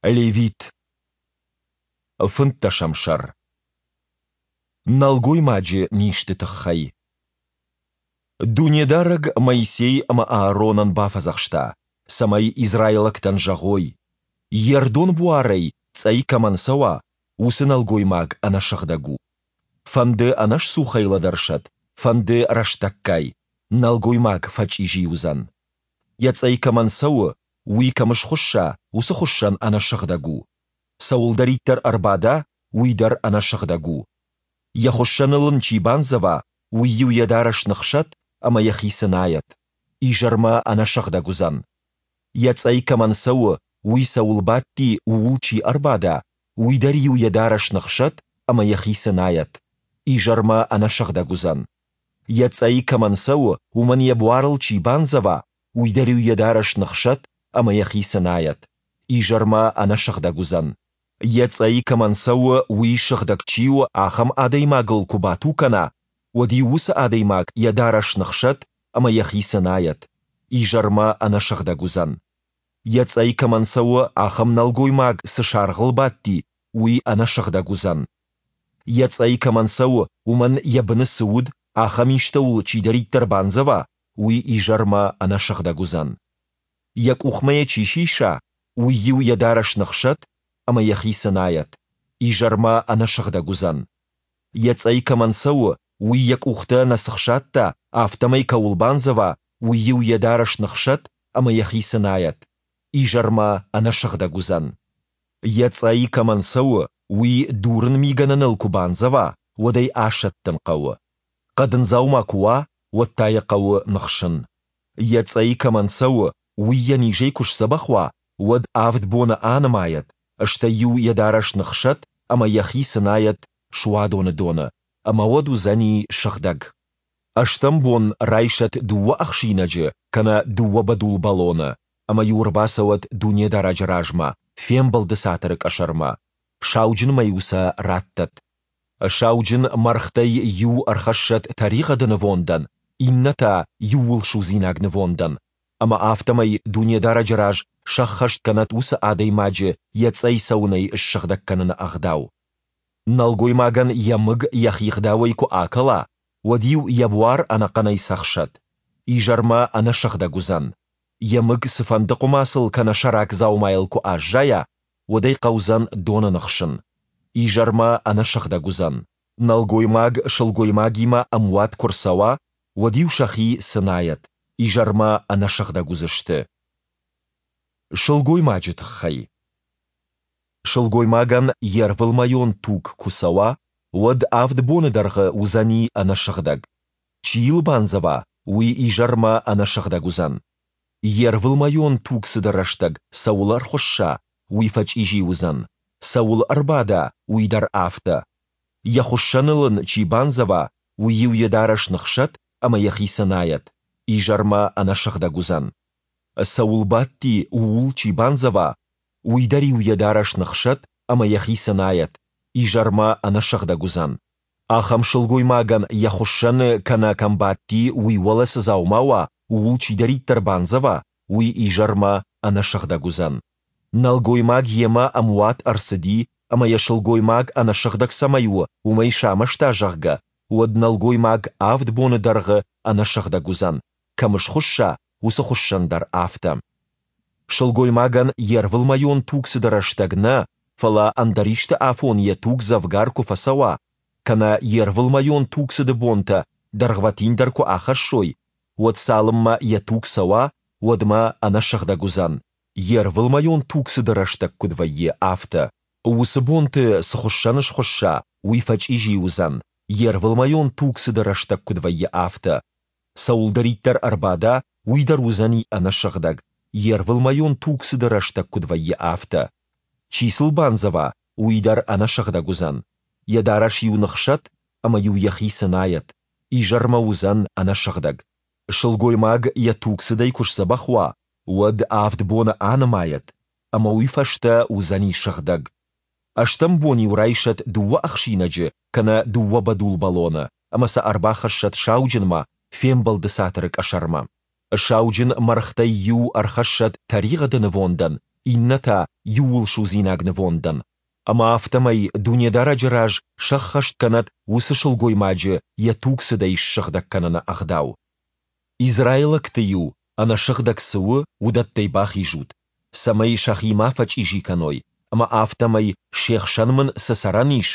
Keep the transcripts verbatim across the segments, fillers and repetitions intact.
Левит. Фынддӕсӕм сӕр. Нӕлгоймаджы низты тыххӕй. Дунедарӕг Моисей ӕмӕ Ааронӕн бафӕдзӕхста, цӕмӕй израилӕгтӕн зӕгъой: Йе рдон буарӕй цъӕй кӕмӕн цӕуа, уыцы нӕлгоймаг ӕнӕсыгъдӕг у. Фӕнды ӕнӕсцухӕй лӕдӕрсӕд, фӕнды рӕстӕггай, нӕлгоймаг фӕчъизи уыдзӕн. Йӕ цъӕй кӕмӕн цӕуы, уый кӕм схуысса, уыцы хуыссӕн ӕнӕсыгъдӕг у. Цӕуылдӕриддӕр ӕрбада, уый дӕр ӕнӕсыгъдӕг у. Йӕ хуыссӕныл ын чи бандзӕва, уый-иу йӕ дарӕс ныхсӕд ӕмӕ йӕхи цынайӕд. Изӕрмӕ ӕнӕсыгъдӕг уыдзӕн. Йӕ цъӕй кӕмӕн цӕуы, уый цӕуыл бадти, ууыл чи ӕрбада, уый дӕр-иу йӕ дарӕс ныхсӕд ӕмӕ йӕхи цынайӕд. Изӕрмӕ ӕнӕсыгъдӕг уыдзӕн. Йӕ цъӕй кӕмӕн цӕуы, уымӕн йӕ буарыл чи бандзӕва, уый дӕр-иу йӕ дарӕс ныхсӕд ӕмӕ йӕхи цынайӕд. Изӕрмӕ ӕнӕсыгъдӕг уыдзӕн. Йӕ цъӕй кӕмӕн цӕуы, уый сыгъдӕг чи у, ахӕм адӕймагыл куы бату кӕна, уӕд-иу уыцы адӕймаг йӕ дарӕс ныхсӕд ӕмӕ йӕхи цынайӕд. Изӕрмӕ ӕнӕсыгъдӕг уыдзӕн. Йӕ цъӕй кӕмӕн цӕуы, ахӕм нӕлгоймаг цы саргъыл бадти, уый ӕнӕсыгъдӕг уыдзӕн. Йӕ цъӕй кӕмӕн цӕуы, уымӕн йӕ быны цы уыд, ахӕм истӕуыл чидӕриддӕр бандзӕва, уый изӕрмӕ ӕнӕсыгъдӕг уыдзӕн. Йӕ къухмӕ йӕ чи сиса, уый-иу йӕ дарӕс ныхсӕд ӕмӕ йӕхи цынайӕд. Изӕрмӕ ӕнӕсыгъдӕг уыдзӕн. Йӕ цъӕй кӕмӕн цӕуы, уый йӕ къухтӕ нӕ цыхсадта, афтӕмӕй кӕуыл бандзӕва, уый-иу йӕ дарӕс ныхсӕд ӕмӕ йӕхи цынайӕд. Изӕрмӕ ӕнӕсыгъдӕг уыдзӕн. Йӕ цъӕй кӕмӕн цӕуы, уый дурын мигӕнӕныл куы бандзӕва, уӕд ӕй асӕттын хъӕуы. Хъӕдын дзаума куы уа, уӕд та йӕ хъӕуы ныхсын. Йӕ цъӕй кӕмӕн цӕуы, уый йӕ низӕй куы сдзӕбӕх уа, уӕд авд боны анымайӕд, стӕй-иу йӕ дарӕс ныхсӕд ӕмӕ йӕхи цынайӕд суадоны доны, ӕмӕ уӕд уыдзӕни сыгъдӕг. Ӕстӕм бон райсӕд дыууӕ ӕхсинӕджы кӕнӕ дыууӕ бӕдул бӕлоны ӕмӕ-иу ӕрбацӕуӕд Дунедарӕджы размӕ, Фембӕлды Цатыры къӕсӕрмӕ, сауджынмӕ-иу сӕ раттӕд. Сауджын мӕргътӕй иу ӕрхӕссӕд тӕригъӕды нывондӕн, иннӕ та иууылсудзинаг нывондӕн, ӕмӕ афтӕмӕй Дунедарӕджы раз сӕххӕст кӕнӕд уыцы адӕймаджы йӕ цъӕй цӕуынӕй ссыгъдӕг кӕныны ӕгъдау. Нӕлгоймагӕн йӕ мыг йӕхи гъдауӕй куы акӕла, уӕд-иу йӕ буар ӕнӕхъӕнӕй цӕхсӕд. Изӕрмӕ ӕнӕсыгъдӕг уыдзӕн. Йӕ мыг цыфӕнды хъуымацыл кӕнӕ сӕрак дзаумайыл куы аззайа, уӕд ӕй хъӕудзӕн доны ныхсын. Изӕрмӕ ӕнӕсыгъдӕг уыдзӕн. Нӕлгоймаг сылгоймагимӕ ӕмуат куы рцӕуа, уӕд-иу сӕхи цынайӕд, изӕрмӕ ӕнӕсыгъдӕг уыдзысты. Сылгоймаджы тыххӕй. Сылгоймагӕн йе рвылмӕйон туг куы цӕуа, уӕд авд боны дӕргъы уыдзӕни ӕнӕсыгъдӕг. Чи йыл бандзӕва, уый изӕрмӕ ӕнӕсыгъдӕг уыдзӕн. Йе рвылмӕйон тугцыды рӕстӕг цӕуыл ӕрхуысса, уый фӕчъизи уыдзӕн, цӕуыл ӕрбада, уый дӕр афтӕ. Йӕ хуыссӕныл ын чи бандзӕва, уый-иу йӕ дарӕс ныхсӕд ӕмӕ йӕхи цынайӕд, изӕрмӕ ӕнӕсыгъдӕг уыдзӕн. Цӕуыл бадти, ууыл чи бандзӕва, уый дӕр-иу йӕ дарӕс ныхсӕд ӕмӕ йӕхи цынайӕд, изӕрмӕ ӕнӕсыгъдӕг уыдзӕн. Ахӕм сылгоймагӕн йӕ хуыссӕны кӕнӕ кӕм бадти, уый уӕлӕ цы дзаума уа, ууыл чидӕриддӕр бандзӕва, уый изӕрмӕ ӕнӕсыгъдӕг уыдзӕн. Нӕлгоймаг йемӕ ӕмуат ӕрцыди ӕмӕ йӕ сылгоймаг ӕнӕсыгъдӕг цӕмӕй у, уымӕй самӕста, зӕгъгӕ, уӕд нӕлгоймаг авд боны дӕргъы ӕнӕсыгъдӕг уыдзӕн, кӕм схуысса, уыцы хуыссӕн дӕр афтӕ. Сылгоймагӕн йе рвылмӕйон тугцыды рӕстӕг нӕ, фӕлӕ ӕндӕр исты афон йӕ туг дзӕвгар куы фӕцӕуа, кӕнӕ йе рвылмӕйон тугцыды бонтӕ дӕргъвӕтиндӕр куы ахӕссой, уӕд цалынмӕ йӕ туг цӕуа, уӕдмӕ ӕнӕсыгъдӕг уыдзӕн, йе рвылмӕйон тугцыды рӕстӕг куыд вӕййы, афтӕ. Уыцы бонты цы хуыссӕны схуысса, уый фӕчъизи уыдзӕн, йе рвылмӕйон тугцыды рӕстӕг куыд вӕййы, афтӕ. Цӕуылдӕриддӕр ӕрбада, уый дӕр уыдзӕни ӕнӕсыгъдӕг, йе рвылмӕйон тугцыды рӕстӕг куыд вӕййы, афтӕ. Чи сыл бандзӕва, уый дӕр ӕнӕсыгъдӕг уыдзӕн. Йӕ дарӕс-иу ныхсӕд ӕмӕ-иу йӕхи цынайӕд. Изӕрмӕ уыдзӕн ӕнӕсыгъдӕг. Сылгоймаг йӕ тугцыдӕй куы сдзӕбӕх уа, уӕд авд боны анымайӕд, ӕмӕ уый фӕстӕ уыдзӕни сыгъдӕг. Ӕстӕм бон-иу райсӕд дыууӕ ӕхсинӕджы кӕнӕ дыууӕ бӕдул бӕлоны ӕмӕ сӕ ӕрбахӕссӕд сауджынмӕ, Фембӕлды Цатыры къӕсӕрмӕ. Сауджын мӕргътӕй иу ӕрхӕссӕд тӕригъӕды нывондӕн, иннӕ та иууылсудзинаг нывондӕн, ӕмӕ афтӕмӕй Дунедарӕджы раз сӕххӕст кӕнӕд уыцы сылгоймаджы йӕ тугцыдӕй ссыгъдӕг кӕныны ӕгъдау. Израилӕгты-иу, ӕнӕсыгъдӕг цы у, уыдӕттӕй бахизут, цӕмӕй сӕхи ма фӕчъизи кӕной ӕмӕ афтӕмӕй, се хсӕн Мын цы цӕрӕн ис,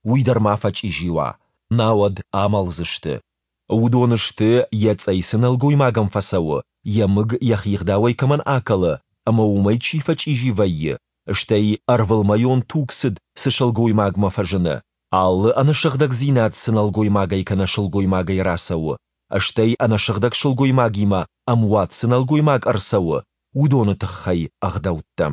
уый дӕр ма фӕчъизи уа, науӕд амӕлдзысты. Уыдон сты, йӕ цъӕй цы нӕлгоймагӕн фӕцӕуы, йӕ мыг йӕхигъдауӕй кӕмӕн акӕлы ӕмӕ уымӕй чи фӕчъизи вӕййы, стӕй ӕрвылмӕйон тугцыд цы сылгоймагмӕ фӕзыны, алы ӕнӕсыгъдӕгдзинад цы нӕлгоймагӕй кӕнӕ сылгоймагӕй рацӕуы, стӕй ӕнӕсыгъдӕг сылгоймагимӕ ӕмуат цы нӕлгоймаг ӕрцӕуы, уыдоны тыххӕй ӕгъдӕуттӕ.